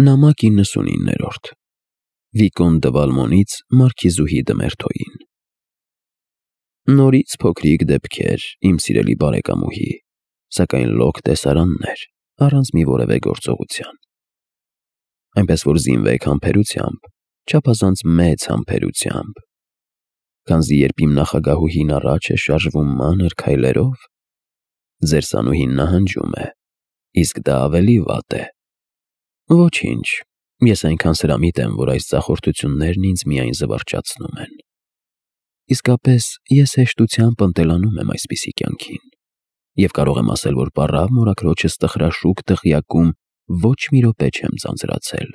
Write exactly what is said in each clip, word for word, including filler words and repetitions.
Նամակ իննսունիններորդ Վիկոն դը Վալմոնից Մարքիզուհի դը Մերթոյին Նորից փոքրիկ դեպքեր, իմ սիրելի բարեկամուհի, սակայն լոկ տեսարաններ, առանց մի որևէ գործողության։ Այնպես որ զինվեք համբերությամբ, չափազանց մեծ համբերությամբ, քանզի երբ իմ նախագահուհին առաջ է շարժվում մանր քայլերով, ձեր սանուհին նահանջում է, իսկ դա ավելի վատ է։ Ոչինչ, ես այնքան սրամիտ եմ, որ այս ծախորդություններն ինձ միայն զվարճացնում են։ Իսկապես ես հեշտությամբ ընտելանում եմ այսպիսի կյանքին, և կարող եմ ասել, որ պառավ մորաքրոջս տխրաշուք դղյակում ոչ մի րոպե չեմ ձանձրացել։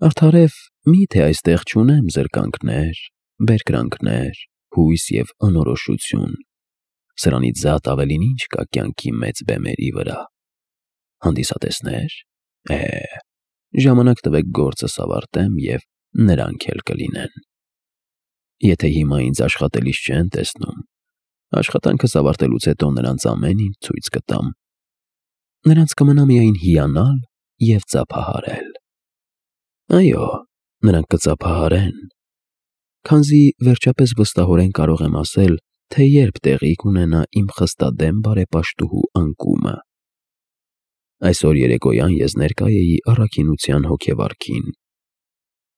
Արդարև մի՞թե այստեղ չունեմ զրկանքներ, բերկրանքներ, հույս և անորոշություն, սրանից զատ ավելին ինչ կա կյանքի մեծ բեմերի վրա։ Հանդիսատեսնե՞ր։ Է, ժամանակ տվեք գործս ավարտեմ, և նրանք էլ կլինեն։ Եթե հիմա ինձ աշխատելիս չեն տեսնում, աշխատանքս ավարտելուց հետո նրանց ամեն ինչ ցույց կտամ։ Նրանց կմնա միայն հիանալ և ծափահարել։ Այո, նրանք կծափահարեն, քանզի վերջապես վստահորեն կարող եմ ասել, թե երբ տեղի կունենա իմ խստադեմ բարեպաշտուհու անկումը։ Այսօր երեկոյան ես ներկա էի առաքինության հոգեվարքին։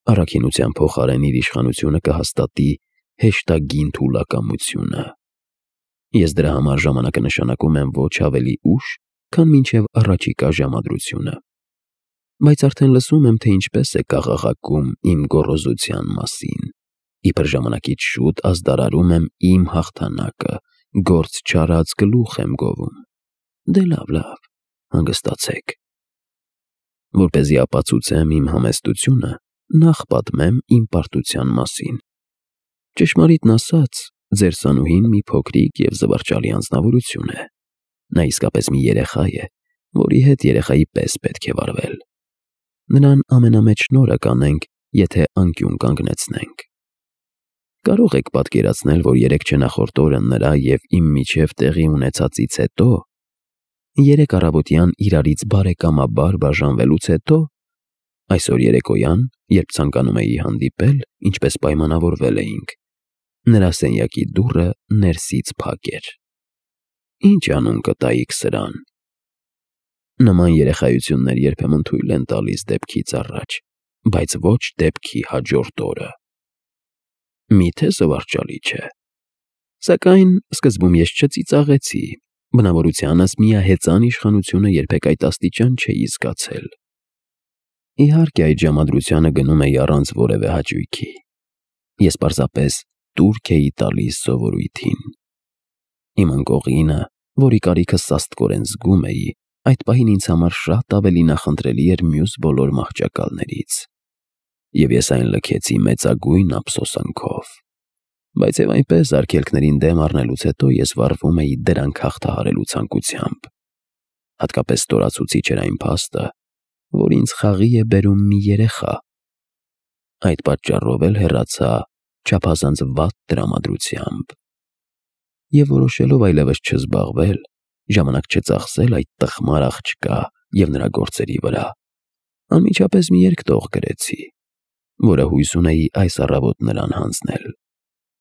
Առաքինության փոխարեն իր իշխանությունը կհաստատի հեշտագին թուլակամությունը։ Ես դրա համար ժամանակը նշանակում եմ ոչ ավելի ուշ, քան մինչև առաջիկա ժամադրությունը։ Բայց արդեն լսում եմ, թե ինչպես է կաղաղակում իմ գոռոզության մասին։ Իբր ժամանակից շուտ ազդարարում եմ իմ հաղթանակը, գործ չարած գլուխ եմ գովում։ Դե լավ, լավ, հանգստացեք։ Որպեսզի ապացուցեմ իմ համեստությունը, նախ պատմեմ իմ պարտության մասին։ Ճշմարիտն ասած, ձեր սանուհին մի փոքրիկ և զվարճալի անձնավորություն է։ Նա իսկապես մի երեխա է, որի հետ երեխայի պես պետք է վարվել։ Նրան ամենամեծ շնորհը կանենք, եթե անկյուն կանգնեցնենք։ Կարող եք պատկերացնել, որ երեքչենախորդ օրը նրա և իմ միջև տեղի ունեցածից հետո, երեկ առավոտյան իրարից բարեկամաբար բաժանվելուց հետո, այսօր երեկոյան, երբ ցանկանում էի հանդիպել, ինչպես պայմանավորվել էինք, նրա սենյակի դուռը ներսից փակ էր։ Ինչ անուն կտայիք սրան։ Նման երեխայություններ երբեմն թույլ են տալիս դեպքից առաջ, բայց ոչ դեպքի հաջորդ օրը։ Միթե զվարճալի չէ։ Սակայն սկզբում ես չծիծաղեցի, բնավորությանս միահեծան իշխանությունը երբեք այդ աստիճան չէի զգացել։ Իհարկե այդ ժամադրությանը գնում էի առանց որևէ հաճույքի։ Ես պարզապես տուրք էի տալիս սովորույթին։ Իմ ընկողինը, որի կարիքը սաստկորեն զգում էի, այդ պահին ինձ համար շատ ավելի նախընտրելի էր մյուս բոլոր մահճակալներից։ Եվ ես այն լքեցի մեծագույն ափսոսանքով։ Բայց և այնպես արգելքներին դեմ առնելուց հետո ես վարվում էի դրանք հաղթահարելու ցանկությամբ։ Հատկապես ստորացուցիչ էր այն փաստը, որ ինձ խաղի է բերում մի երեխա։ Այդ պատճառով էլ հեռացա չափազանց վատ տրամադրությամբ։ Եվ որոշելով այլևս չզբաղվել, ժամանակ չծախսել այդ տխմար աղջկա և նրա գործերի վրա, անմիջապես մի երկտող գրեցի, որը հույս ունեի այս առավոտ նրան հանձնել,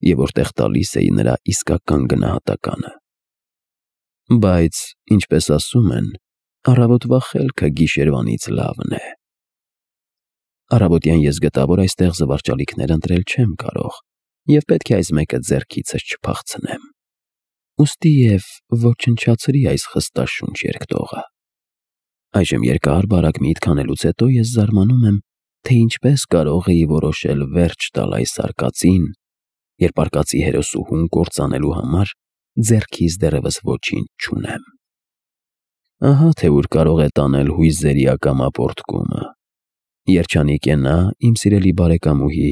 և որտեղ տալիս էի նրա իսկական գնահատականը։ Բայց, ինչպես ասում են, առավոտվա խելքը գիշերվանից լավն է։ Առավոտյան ես գտա, որ այստեղ զվարճալիքներ ընտրել չեմ կարող, և պետք է այս մեկը ձեռքիցս չփախցնեմ։ Ուստի և ոչնչացրի այս խստաշունչ երկտողը։ Այժմ երկար-բարակ միտք անելուց հետո ես զարմանում եմ, թե ինչպես կարող էի որոշել վերջ տալ այս արկածին, երբ արկածի հերոսուհուն կործանելու համար ձեռքիս դեռևս ոչինչ չունեմ։ Ահա թե ուր կարող է տանել հույզերի ակամա պոռթկումը։ Երջանիկ է նա, իմ սիրելի բարեկամուհի,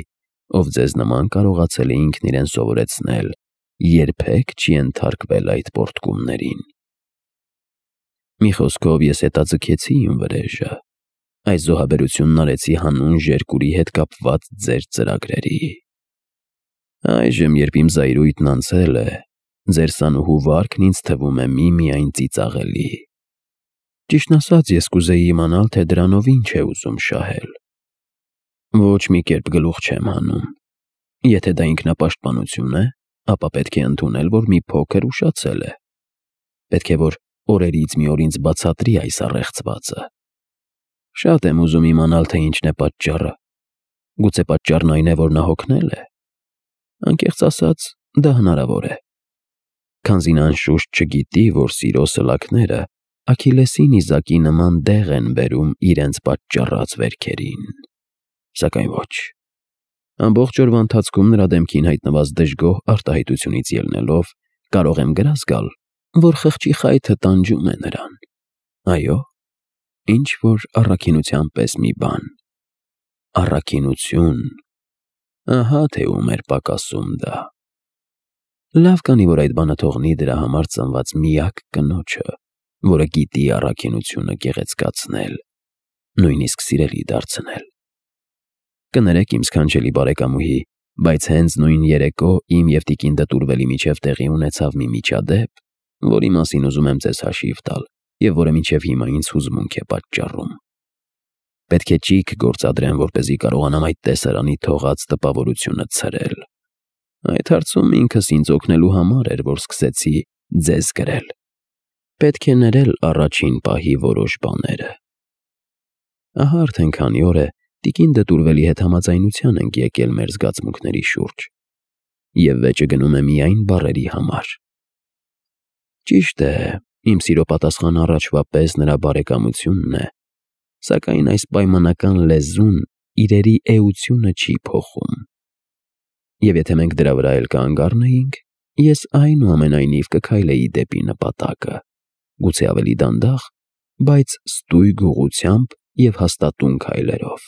ով ձեզ նման կարողացել է ինքն իրեն սովորեցնել երբեք չի ենթարկվել այդ պոռթկումներին։ Մի խոսքով ես հետաձգեցի իմ վրեժը, այս զոհաբերությունն արեցի հանուն Ժերկուրի հետ կապված ձեր ծրագրերի։ Այժմ, երբ իմ զայրույթն անցել է, ձեր սանուհու վարքն ինձ թվում է միմիայն ծիծաղելի։ Ճիշտն ասած, ես կուզեի իմանալ, թե դրանով ինչ է ուզում շահել։ Ոչ մի կերպ գլուխ չեմ հանում։ Եթե դա ինքնապաշտպանություն է, ապա պետք է ընդունել, որ մի փոքր ուշացել է։ Պետք է, որ օրերից մի օր ինձ բացատրի այս առեղծվածը։ Շատ եմ ուզում իմանալ, թե ինչն է պատճառը։ Գուցե պատճառն այն է, որ նա հոգնել է։ Անկեղծ ասած, դա հնարավոր է։ Քանզի նա անշուշտ չգիտի, որ սիրո սլաքները Աքիլեսի նիզակի նման դեղ են բերում իրենց պատճառած վերքերին։ Սակայն ոչ։ Ամբողջ օրվա ընթացքում նրա դեմքին հայտնված դժգոհ արտահայտությունից ելնելով կարող եմ գրազ գալ, որ խղճի խայթը տանջում է նրան։ Այո, ինչ որ առաքինության պես մի բան։ Առաքինություն։ Ահա թե ում էր պակասում դա։ Լավ կանի, որ այդ բանը թողնի դրա համար ծնված միակ կնոջը, որը գիտի առաքինությունը գեղեցկացնել, նույնիսկ սիրելի դարձնել։ Կներեք իմ սքանչելի բարեկամուհի, բայց հենց նույն երեկո իմ և տիկին Դտուրվելի միջև տեղի ունեցավ մի միջադեպ, որի մասին ուզում եմ ձեզ հաշիվ տալ և որը մինչև հիմա ինձ հուզմունք է պատճառում։ Պետք է ճիգ գործադրեմ, որպեսզի կարողանամ այդ տեսարանի թողած տպավորությունը ցրել։ Այդ հարցում ինքս ինձ օգնելու համար էր, որ սկսեցի ձեզ գրել։ Պետք է ներել առաջին պահի որոշ բաները։ Ահա արդեն քանի օր է տիկին Դտուրվելի հետ համաձայնության ենք եկել մեր զգացմունքների շուրջ, և վեճը գնում է միայն բառերի համար։ Ճիշտ է, իմ սիրո պատասխանը առաջվա պես նրա բարեկամությունն է, սակայն այս պայմանական լեզուն իրերի էությունը չի փոխում։ Եվ եթե մենք դրա վրա էլ կանգ առնեինք, ես այնուամենայնիվ կքայլեի դեպի նպատակը, գուցե ավելի դանդաղ, բայց ստույգ ուղղությամբ և հաստատուն քայլերով։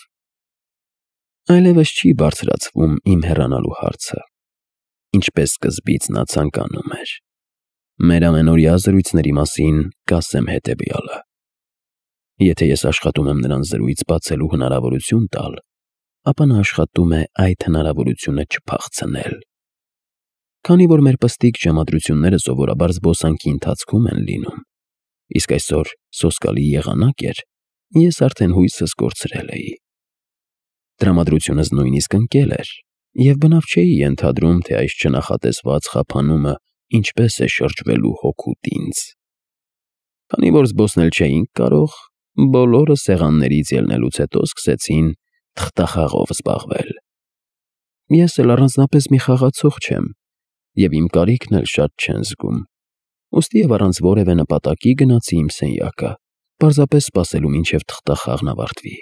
Այլևս չի բարձրացվում իմ հեռանալու հարցը, ինչպես սկզբից նա ցանկանում էր։ Մեր ամենօրյա զրույցների մասին կասեմ հետևյալը. Եթե ես աշխատում եմ նրան զրույց բացելու հնարավորություն տալ, ապա նա աշխատում է այդ հնարավորությունը չփախցնել։ Քանի որ մեր պստիկ ժամադրությունները սովորաբար զբոսանքի ընթացքում են լինում, իսկ այսօր սոսկալի եղանակ էր, ես արդեն հույսս կորցրել էի։ Տրամադրությունս նույնիսկ ընկել էր, և բնավ չէի ենթադրում, թե այս չնախատեսված խափանումը ինչպես է շրջվելու հօգուտ ինձ։ Քանի որ զբոսնել չէինք կարող, բոլորը սեղաններից ելնելուց հետո սկսեցին թղթախաղով զբաղվել։ Ես էլ առանձնապես մի խաղացող չեմ, և իմ կարիքն էլ շատ չեն զգում, ուստի և առանց որևէ նպատակի գնացի իմ սենյակը, պարզապես սպասելու մինչև թղթախաղն ավարտվի։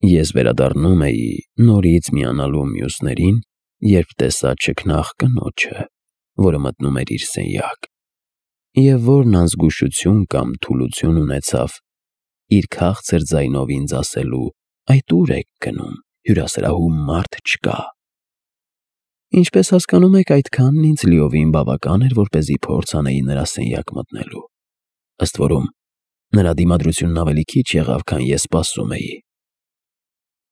Ես վերադառնում էի նորից միանալու մյուսներին, երբ տեսա չքնաղ կնոջը, որը մտնում էր իր սենյակ, և որն անզգուշություն կամ թուլություն ունեցավ իր քաղցր ձայնով ինձ ասելու. «Այդ ո՞ւր եք գնում, հյուրասրահում մարդ չկա»։ Ինչպես հասկանում եք, այդքանն ինձ լիովին բավական էր, որպեսզի փորձ անեի նրա սենյակ մտնելու։ Ըստ որում, նրա դիմադրությունն ավելի քիչ եղավ, քան ես սպասում էի։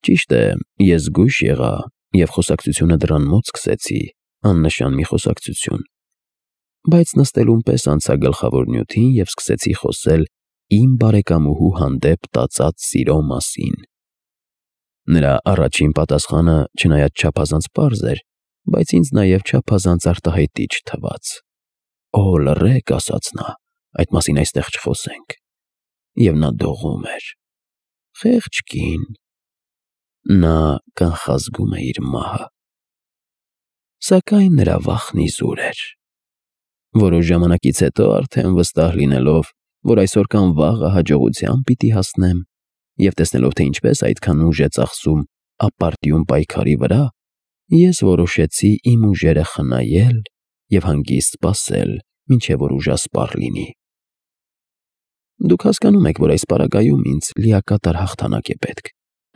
Ճիշտ է, ես զգույշ եղա և խոսակցությունը դռան մոտ սկսեցի, աննշան մի խոսակցություն, բայց նստելուն պես անցա գլխավոր նյութին և սկսեցի խոսել իմ բարեկամուհու հանդեպ տածած սիրո մասին։ Նրա առաջին պատասխանը չնայած չափազանց պարզ էր, բայց ինձ նաև չափազանց արտահայտիչ թվաց։ «Օ, լռեք», ասաց նա, «այդ մասին այստեղ չխոսենք»։ Եվ նա դողում էր։ Խեղճ կին։ Նա կանխազգում է իր մահը։ Սակայն նրա վախն իզուր էր։ Որոշ ժամանակից հետո, արդեն վստահ լինելով, որ այսօր կամ վաղը հաջողության պիտի հասնեմ, և տեսնելով, թե ինչպես այդքան ուժ է ծախսում ապարդյուն պայքարի վրա, ես որոշեցի իմ ուժերը խնայել և հանգիստ սպասել, մինչև որ ուժասպառ լինի։ Դուք հասկանում եք, որ այս պարագայում ինձ լիակատար հաղթանակ է պետք,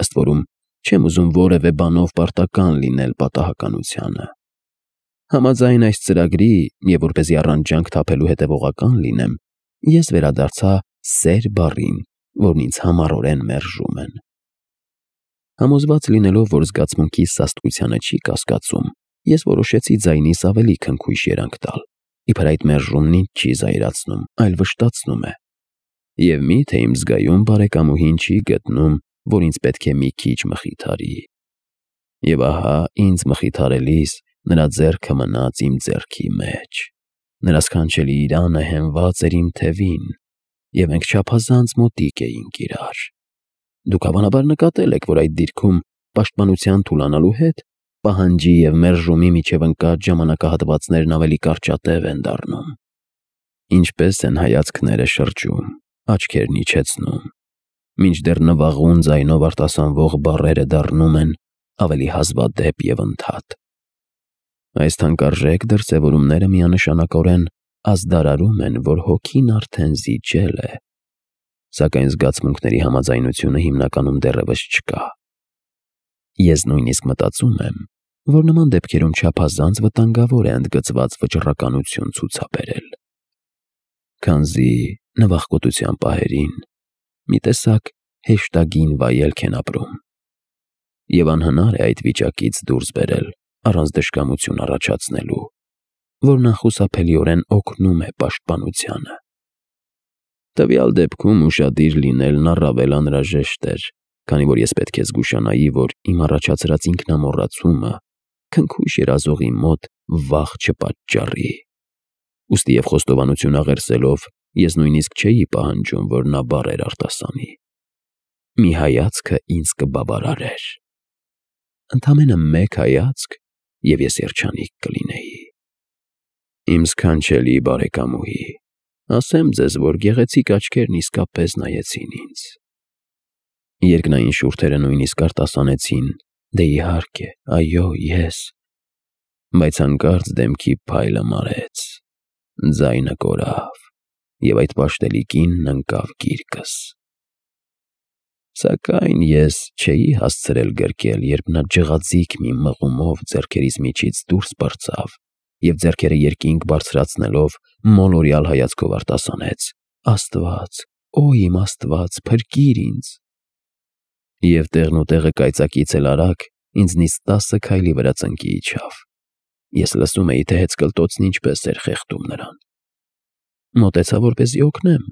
ըստ որում չեմ ուզում որևէ բանով պարտական լինել պատահականությանը։ Համաձայն այս ծրագրի և որպեսզի առանց ջանք թափելու հետևողական լինեմ, ես վերադարձա սեր բառին, որն ինձ համառորեն մերժում են։ Համոզված լինելով, որ զգացմունքիս սաստկությանը չի կասկածում, ես որոշեցի ձայնիս ավելի քնքուշ երանգ տալ, իբր այդ մերժումն ինձ չի զայրացնում, այլ վշտացնում է։ Եվ մի՞թե իմ զգայուն բարեկամուհին չի գտնում, որ ինձ պետք է մի քիչ մխիթարի։ Եվ ահա ինձ մխիթարելիս նրա ձեռքը մնաց իմ ձեռքի մեջ, նրա սքանչելի իրանը հենված էր իմ թևին, և մենք չափազանց մոտիկ էինք իրար։ Դուք հավանաբար նկատել եք, որ այդ դիրքում պաշտպանության թուլանալու հետ պահանջի և մերժումի միջև ընկած ժամանակահատվածներն ավելի կարճատև են դառնում։ Ինչպես են հայացքները շրջում, աչքերն իջեցնում, մինչդեռ նվաղուն ձայնով արտասանվող բառերը դառնում են ավելի հազվադեպ և ընդհատ։ Այս թանկարժեք դրսևորումները միանշանակորեն ազդարարում են, որ հոգին արդեն զիջել է, սակայն զգացմունքների համաձայնությունը հիմնականում դեռևս չկա։ Ես նույնիսկ մտածում եմ, որ նման դեպքերում չափազանց վտանգավոր է ընդգծված վճռականություն ցուցաբերել, քանզի նվախկոտության պահերին մի տեսակ հեշտագին վայելք են ապրում, և անհնար է այդ վիճակից դուրս բերել առանց դժկամություն առաջացնելու, որն անխուսափելիորեն օգնում է պաշտպանությանը։ Տվյալ դեպքում ուշադիր լինելն առավել անհրաժեշտ էր, քանի որ ես պետք է զգուշանայի, որ իմ առաջացրած ինքնամոռացումը քնքուշ երազողի մոտ վախ չպատճառի։ Ուստի և խոստովանություն աղերսելով ես նույնիսկ չէի պահանջում, որ նա բառեր արտասանի։ Մի հայացքը ինձ կբավարարեր։ Ընդամենը մեկ հայացք, և ես երջանիկ կլինեի։ Իմ սքանչելի բարեկամուհի, ասեմ ձեզ, որ գեղեցիկ աչքերն իսկապես նայեցին ինձ։ Երկնային շուրթերը նույնիսկ արտասանեցին. «Դե իհարկե, այո, ես», բայց հանկարծ դեմքի փայլը մարեց, ձայնը կորավ, և այդ պաշտելի կինն ընկավ գիրկս։ Սակայն ես չէի հասցրել գրկել, երբ նա ջղաձիգ մի մղումով ձեռքերիս միջից դուրս պրծավ և ձեռքերը երկինք բարձրացնելով մոլորյալ հայացքով արտասանեց. «Աստված, օ իմ Աստված, փրկիր ինձ»։ Եվ տեղնուտեղը կայծակից էլ արագ ինձնից տասը քայլի վրա ծնկի իջավ։ Ես լսում էի, թե հեծկլտոցն ինչպես էր խեղդում նրան։ Մոտեցա, որպեսզի օգնեմ,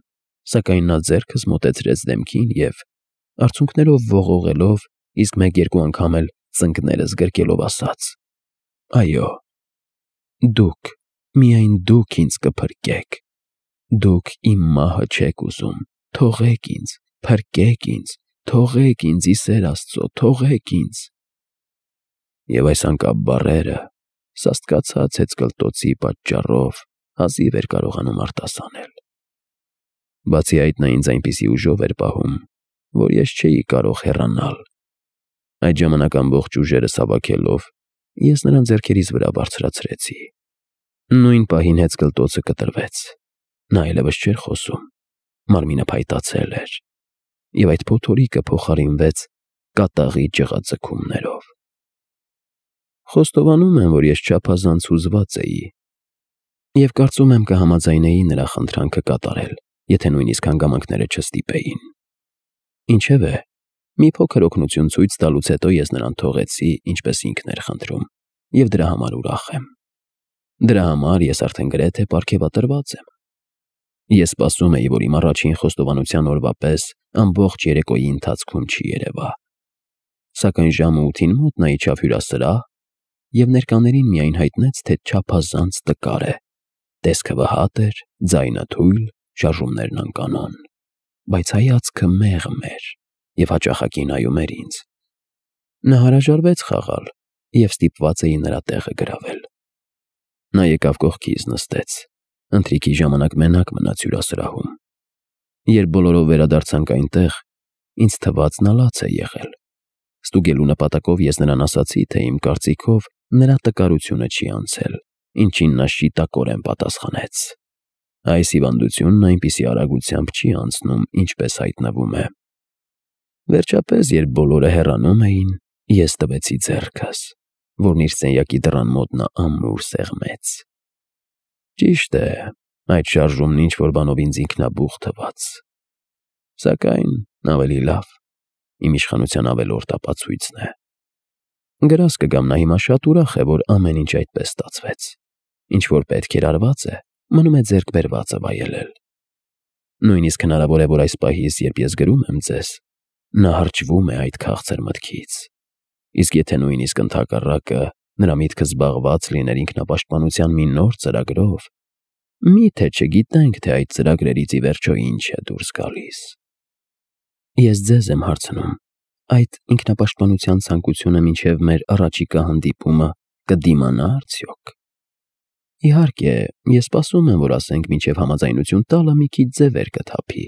սակայն նա ձեռքս մոտեցրեց դեմքին և, արցունքներով ողողելով, իսկ մեկ֊երկու անգամ էլ ծնկներս գրկելով ասաց. «Այո, դուք, միայն դուք ինձ կփրկեք։ Դուք իմ մահը չեք ուզում, թողեք ինձ, փրկեք ինձ, թողեք ինձ, ի սեր Աստծո, թողեք ինձ»։ Եվ այս անկապ բառերը սաստկացած հեծկլտոցի պատճառով հազիվ էր կարողանում արտասանել։ Բացի այդ, նա ինձ այնպիսի ուժով էր պահում, որ ես չէի կարող հեռանալ։ Այդ ժամանակ ամբողջ ուժերս հավաքելով, ես նրան ձեռքերիս վրա բարձրացրեցի։ Նույն պահին հեծկլտոցը կտրվեց։ Նա այլևս չէր խոսում, մարմինը փայտացել էր, և այդ փոթորիկը փոխարինվեց կատաղի ջղաձգումներով։ Խոստովանում եմ, որ ես չափազանց հուզված էի, և կարծում եմ կհամաձայնեի նրա խնդրանքը կատարել, եթե նույնիսկ հանգամանքները չստիպեին։ Ինչևէ, մի փոքր օգնություն ցույց տալուց հետո ես նրան թողեցի, ինչպես ինքն էր խնդրում, և դրա համար ուրախ եմ։ Դրա համար ես արդեն գրեթե պարգևատրված եմ։ Ես սպասում էի, որ իմ առաջին խոստովանության օրվա պես ամբողջ երեկոյի ընթացքում չի երևա։ Սակայն ժամը ութին մոտ նա իջավ հյուրասրահ և ներկաներին միայն հայտնեց, թե չափազանց տկար է, տեսքը վհատ էր, ձայնը թույլ, շարժումներն անկանոն, բայց հայացքը մեղմ էր և հաճախակի նայում էր ինձ։ Նա հրաժարվեց խաղալ և ստիպված էի նրա տեղը գրավել։ Նա եկավ կողքիս նստեց, ընթրիքի ժամանակ մենակ մնաց հյուրասրահում։ Երբ բոլորով վերադարձանք այնտեղ, ինձ թվաց նա լաց է եղել։ Ստուգելու նպատակով ես նրան ասացի, թե իմ կարծիքով նրա տկարությունը չի անցել, ինչին նա շիտակորեն պատասխանեց. այս հիվանդությունն այնպիսի արագությամբ չի անցնում, ինչպես հայտնվում է։ Վերջապես, երբ բոլորը հեռանում էին, ես տվեցի ձեռքս, որն իր սենյակի դռան մոտ նա ամուր սեղմեց։ Ճիշտ է, այդ շարժումն ինչ-որ բանով ինձ ինքնաբուխ թվաց։ Սակայն ավելի լավ, իմ իշխանության ավելորդ ապացույցն է։ Գրազ կգամ, նա հիմա շատ ուրախ է, որ ամեն ինչ այդպես ստացվեց։ Ինչ որ պետք էր արված է, մնում է ձեռք բերվածը վայելել։ Նույնիսկ հնարավոր է, որ այս պահից, երբ ես գրում եմ ձեզ, նա հարճվում է այդ քաղցր մտքից։ Իսկ եթե նույնիսկ ընդհակառակը նրա միտքը զբաղված լիներ ինքնապաշտպանության մի նոր ծրագրով, միթե չգիտենք, թե այդ ծրագրերից ի վերջո ինչ է դուրս գալիս։ Ես ձեզ եմ հարցնում, այդ ինքնապաշտպանության ցանկությունը մինչև մեր առաջիկա հանդիպումը կդիմանա արդյոք։ Իհարկե, ես սպասում եմ, որ ասենք մինչև համաձայնություն տալը մի քիչ ձևեր կթափի,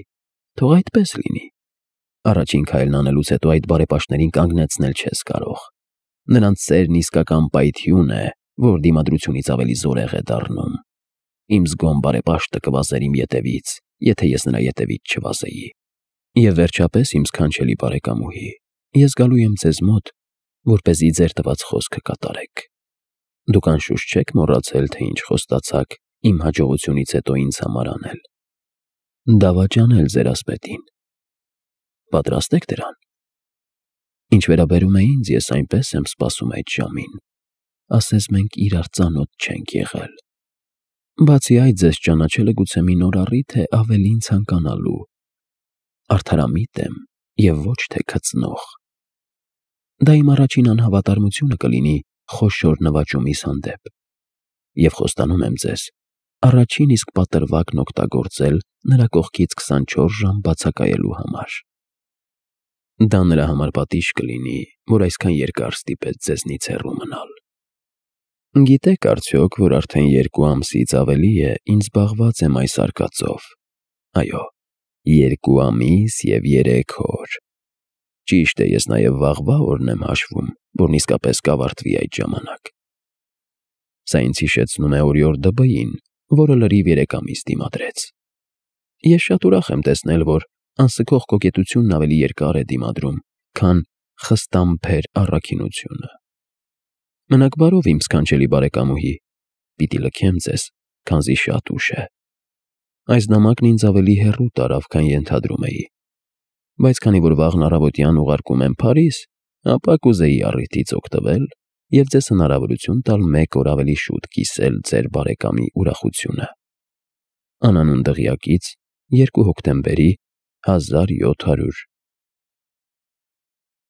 թող այդպես լինի։ Առաջին քայլն անելուց հետո այդ բարեպաշտներին կանգնեցնել չես կարող։ Նրանց սերն իսկական պայթյուն է, որ դիմադրությունից ավելի զորեղ է դառնում։ Իմ զգոն բարեպաշտը կվազեր իմ ետևից, եթե ես նրա ետևից չվազեի։ Եվ վերջապես, իմ սքանչելի բարեկամուհի, ես գալու եմ ձեզ մոտ, որպեսզի ձեր տված խոսքը կատարեք։ Դուք անշուշտ չեք մոռացել, թե ինչ խոստացաք իմ հաջողությունից հետո ինձ համար անել։ Դավաճանել ձեր ասպետին։ Պատրաստ եք դրան։ Ինչ վերաբերում է ինձ, ես այնպես եմ սպասում այդ ժամին, ասես մենք իրար ծանոթ չենք եղել։ Բացի այդ, ձեզ ճանաչելը գուցե մի նոր առիթ է ավելին ցանկանալու։ Արդարամիտ եմ և ոչ թե քծնող։ Դա իմ առաջին անհավատարմությունը կլինի խոշոր նվաճումիս հանդեպ։ Եվ խոստանում եմ ձեզ, առաջին իսկ պատրվակն օգտագործել նրա կողքից քսանչորս ժամ բացակայելու համար։ Դա նրա համար պատիժ կլինի, որ այսքան երկար ստիպեց ձեզնից հեռու մնալ։ Գիտեք արդյոք, որ արդեն երկու ամսից ավելի է ինձ զբաղված եմ այս արկածով։ Այո, երկու ամիս և երեք օր։ Ճիշտ է, ես նաև վաղվա օրն եմ հաշվում, որն իսկապես կավարտվի այդ ժամանակ։ Սա ինձ հիշեցնում է օրիորդ Դ.Բ.-ին, որը լրիվ երեք ամիս դիմադրեց։ Ես շատ ուրախ եմ տեսնել, որ անսքող կոկետությունն ավելի երկար է դիմադրում, քան խստամբեր առաքինությունը։ Մնաք բարով, իմ սքանչելի բարեկամուհի, պիտի լքեմ ձեզ, քանզի շատ ուշ է։ Այս նամակն ինձ ավելի հեռու տարավ, քան ենթադրում էի, բայց քանի որ վաղն առավոտյան ուղարկում եմ Փարիզ, ապա կուզեի առիթից օգտվել և ձեզ հնարավորություն տալ մեկ օր ավելի շուտ կիսել ձեր բարեկամի ուրախությունը։ Անանուն դղյակից երկու հոկտեմբերի հազար յոթ հարյուր